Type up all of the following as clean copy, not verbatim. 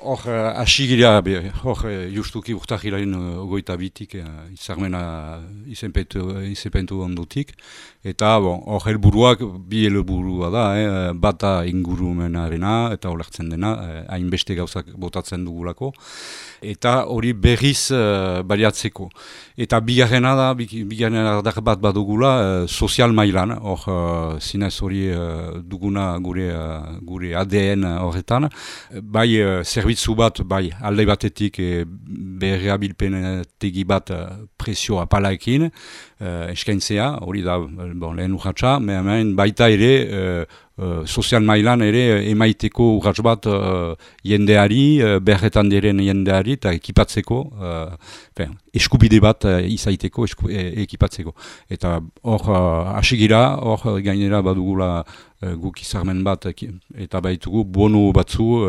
Hor, hasi gira, justuki urtahilaren ogoita bitik, izarmena izenpentu ondutik. Eta, hor helburuak, bi helburua da, bata ingurumenarena eta olertzen dena, hainbeste gauzak botatzen dugulako. Eta hori berriz baliatzeko. Eta bigarrena da, bigarrena bat badugula, sozial mailan, hor zinez hori duguna gure ADN horretan, bai zerbitzu bat, bai alde batetik berreabilpenetegi bat presio apalaekin, eskaintzea, hori da lehen urratsa, baita ere sozial mailan ere emaiteko urrats bat jendeari, berretan diren jendeari eta ekipatzeko, eskubide bat izaiteko, ekipatzeko. Eta hor hasigira, hor gainera badugula guk izarmen bat eta baitugu bonu batzu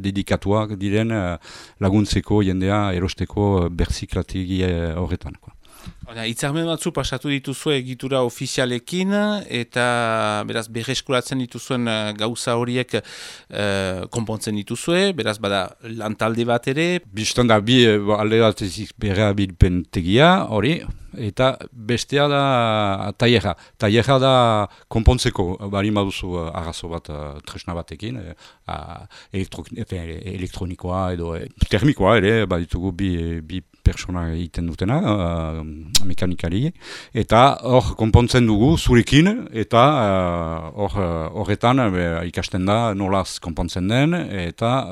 dedikatuak diren laguntzeko jendea erosteko berziklategi horretan. Hitzarmen batzu pasatu dituzue egitura ofizialekin eta beraz berreskuratzen dituzuen gauza horiek konpontzen dituzue, beraz bada lantalde bat ere. Bistan da bi alde bat berreabilpentegia hori, eta bestea da tailerra. Tailerra da konpontzeko, bari baduzu arrazo bat tresna batekin, elektronikoa edo termikoa ere, baditugu bi persona egiten dutena, mekanikari, eta hor konpontzen dugu zurekin, eta horretan ikasten da nolaz konpontzen den, eta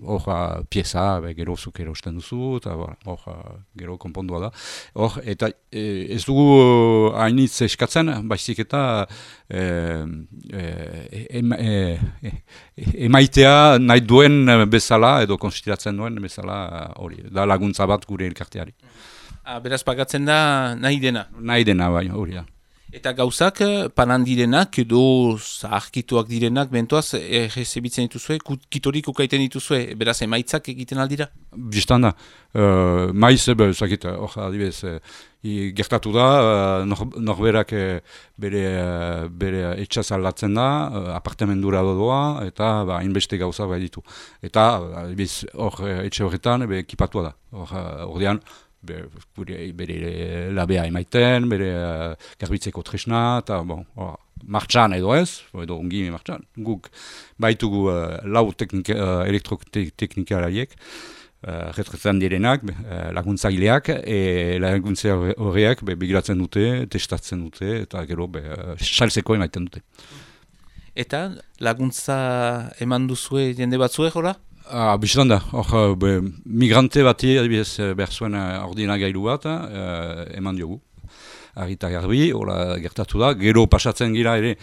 hor pieza gero zuk erosten duzu, eta hor gero konpondua da. Hor, eta ez dugu hainitz eskatzen, baizik eta emaitea nahi duen bezala, edo konsideratzen duen bezala hori, da laguntza bat gure elkarteari. Beraz pagatzen da nahi dena? Nahi dena, bai, hori da. Eta gauzak panan direnak edo zaharkituak direnak bentoaz errezebitzen dituzue, kitorik ukaiten dituzue, beraz emaitzak egiten aldira? Bistan da, maiz, hor adibez, gertatu da, norberak bere etxaz aldatzen da, apartamendura doa, eta hainbeste gauza bai ditu. Eta adibez, hor etxe horretan, ekipatua da. Ordean, bere labea emaiten, bere garbitzeko tresna, eta martxan edo ez, edo ongi martxan. Guk baitugu lau elektroteknikalariek, retretan direnak, laguntzaileak, laguntza horreak begiratzen dute, testatzen dute, eta gero salzeko emaiten dute. Eta laguntza eman duzue jende batzue, jola? Bistan da, migrante bati behar zuen ordinagailu bat eman diogu. Arita garbi, gertatu da, gero pasatzen gira ere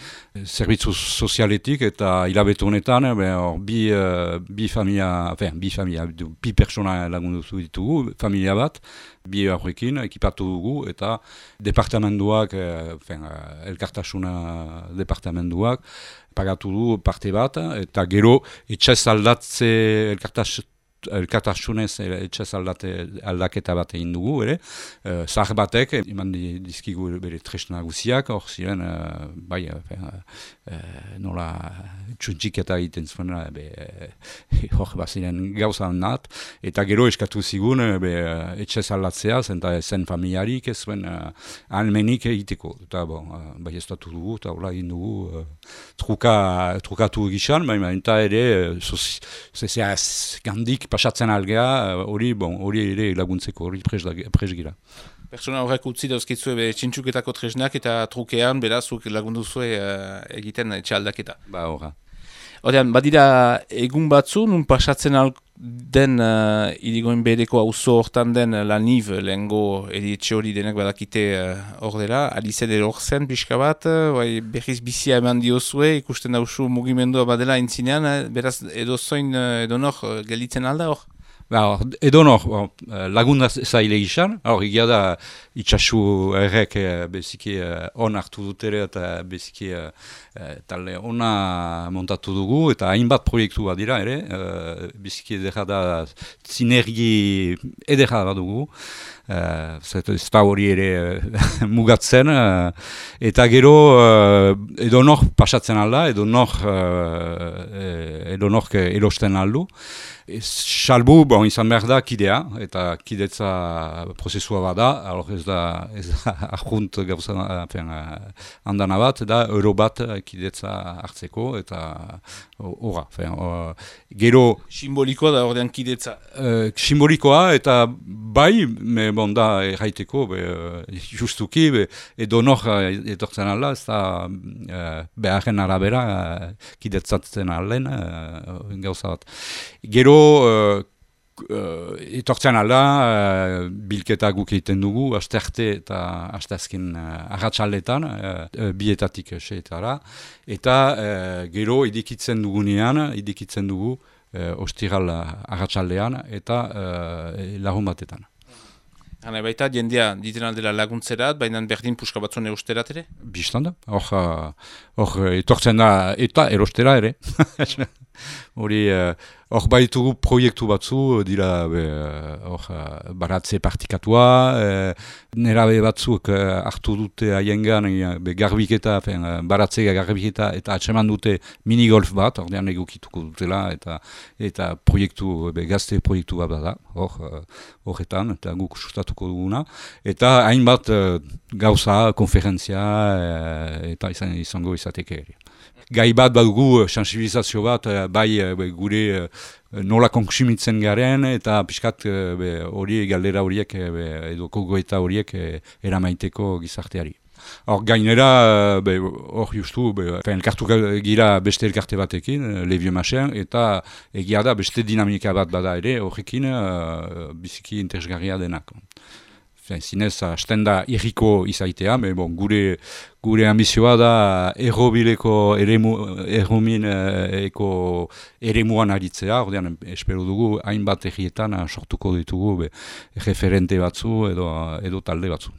zerbitzu sozialetik eta hilabetu honetan bi persona lagundu ditugu, familia bat, bi horrekin ekipatu dugu eta departamentuak, elkartasuna departamentuak, pagatu du parte bat, eta gero etxez aldatze elkartasunez etxez aldaketa bat egin dugu, ere. Zahar batek, eman dizkigu bere tresna guziak, hor ziren, nola txuntxiketa egiten zuen, hor baziren gauza nat, eta gero eskatu zigun etxez aldatzea, zen familiarik, ez zuen almenik egiteko. Eta bai ez dugu, eta hola egin dugu trukatu egizan, eta ere, gandik pasatzen algea, hori ere laguntzeko, hori presgira. Pertsona horrek utzi dauzkitzue txintxuketako tresnak eta trukean berazuk lagunduzue egiten etxe aldaketa. Horra. Odean, badira egun batzu, nun pasatzen den irigoen bereko auzo hortan den laniv, lehengo edietxe hori denak badakite hor dela, alizede hor zen pixka bat, berriz bizia eman diozue, ikusten dauzu mugimendua badela entzinean, beraz edo zoin edo nor gelditzen alda hor? Edonor, lagunda zaile izan, egia da itxasu errek beziki on hartu dut ere eta beziki talde ona montatu dugu eta hainbat proiektu bat dira ere, beziki edera da sinergi edera bat dugu. Ez da hori ere mugatzen eta gero edonor pasatzen alda, edonor erosten aldu. Salbu, izan behar da kidea, eta kidetza prozesua bada, ez da arjunt gauza handana bat, da euro bat kidetza hartzeko, eta horra. Gero... Simbolikoa da ordean kidetza? Simbolikoa, eta bai, da erraiteko, justuki, edonor etortzen alda, ez da beharren arabera kidetzatzen alden gauza bat. Gero etortzen alda, bilketa guk egiten dugu, astearte eta asteazken arratsaldetan, bietatik seetara, eta gero idikitzen dugu ostiral arratsaldean eta lagun batetan. Hana baita, jendea diten aldela laguntzerat, baina berdin puska batzuen erosterat ere? Bistan da, hor etortzen da eta erostera ere. Hor baitugu proiektu batzu, dira baratze partikatua, nerabe batzuk hartu dute haiengan garbiketa, baratze garbiketa eta atseman dute minigolf bat, ordean egokituko dutela, eta proiektu, gazte proiektu bat da, horretan, eta guk sustatuko duguna, eta hainbat gauza, konferentzia, eta izango izateke ere. Gai bat badugu, sensibilizazio bat, bai gure nola kontsumitzen garen, eta pixkat hori galdera horiek, edo gogoeta horiek eramaiteko gizarteari. Hor gainera, hor justu, elkartu gira beste elkarte batekin, Le Vieux Machin, eta egia da beste dinamika bat bada ere, horrekin biziki interesgarria denak. Zinez, hasten da irriko izaitea, gure ambizioa da errobileko eremuan aritzea, ordean espero dugu hainbat errietan sortuko ditugu referente batzu edo talde batzu.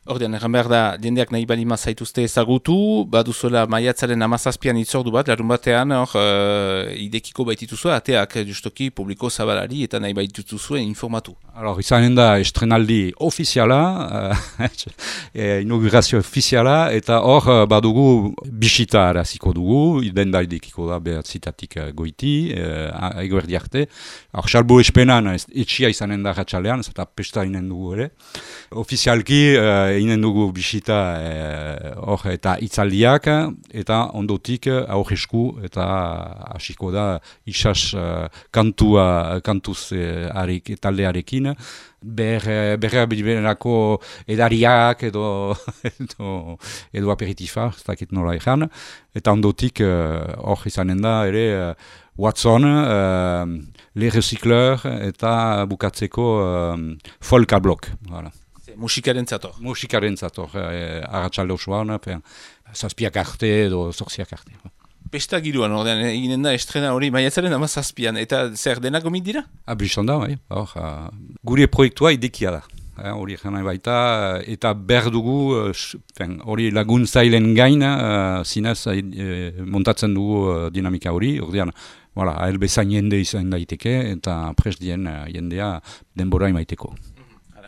Ordean, erran behar da, jendeak nahi balima zaituzte ezagutu, baduzuela maiatzaren 17an itzordu bat, larun batean, idekiko baitituzu, ateak justoki publiko zabalari eta nahi baitutuzue informatu. Izanen da estrenaldi ofiziala, inaugurazio ofiziala, eta hor badugu bisita araziko dugu, denda idekiko da behatzitatik goiti, egoerdi arte. Salbo espenan etxia izanen da ratxalean, eta pesta inen dugu ere. Ofizialki, inen dugu bisita eta itzaldiak, eta ondotik aurresku eta hasiko da isas kantuz taldearekin, berra bilberako edariak edo aperitifa, ez dakit nola ezan, eta ondotik hor izanen da ere Watson, Le Recycleur eta bukatzeko Folka Blok. Musikaren zato? Musikaren zato, arratsalde osoan, zazpiak arte edo zorziak arte. Pesta giroan, ordean, eginen da estrena hori maiatzaren 17an, eta zer denak gomit dira? Biztan da, gure proiektua idekia da. Hori egin baita, eta behar dugu, hori laguntzailen gain, zinez montatzen dugu dinamika hori, ordean, bezain jende izan daiteke, eta prest dien jendea denbora imaiteko.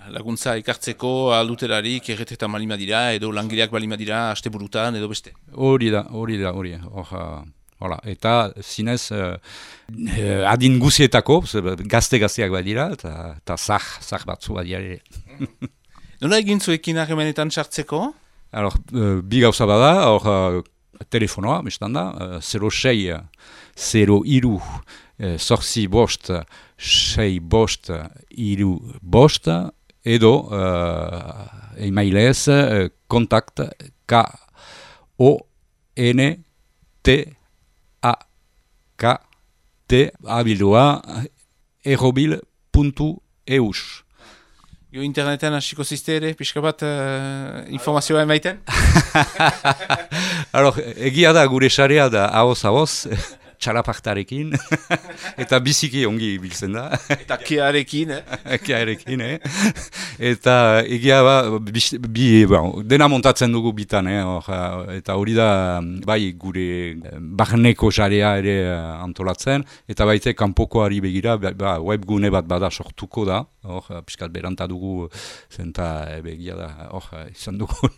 Laguntza ikartzeko alduterarik erretretan balima dira, edo langileak balima dira, asteburutan, edo beste? Hori da. Eta zinez, adin guzietako, gazte-gazteak badira, eta zah batzu badira ere. Nola egin zuekin harremanetan sartzeko? Bi gauza bada, telefonoa, bestan da, 06, 03, zorzi bost, 6 bost, 3 bost, edo emailez kontakt KONTAKT abildoa errobil.eus. Jo internetan hasiko zizte ere, pixka bat informazioa emaiten? Egia da gure sarea da ahoz, txalapartarekin, eta biziki ongi biltzen da. Eta kearekin, Kearekin, Eta egia dena montatzen dugu bitan, eta hori da bai gure barneko sarea ere antolatzen, eta baite kanpokoari begira, webgune bat bada sortuko da, piskat beranta dugu, zenta begia da, izan dugu,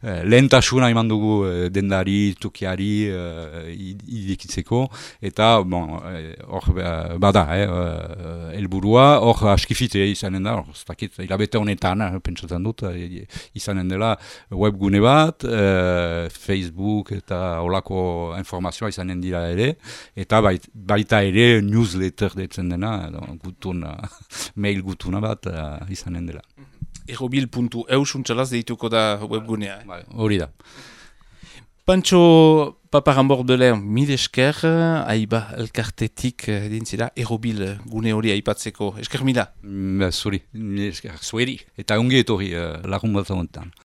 lehentasuna eman dugu dendari, tukiari, idikitzeko, eta bada, helburua, askifite izanen da, hilabete honetan, pentsatzen dut, izanen dela webgune bat, Facebook eta olako informazioa izanen dira ere, eta baita ere newsletter detzen dena, mail gutuna bat izanen dela. Errobil.eu suntxalaz deituko da webgunea. Hori da. Pantxo Paparambordelen, mil esker, aiba elkartetik dintzira, Errobil gune hori aipatzeko. Esker mila? Zuri, mil esker, zueri. Eta ongi etorri lagun bat honetan.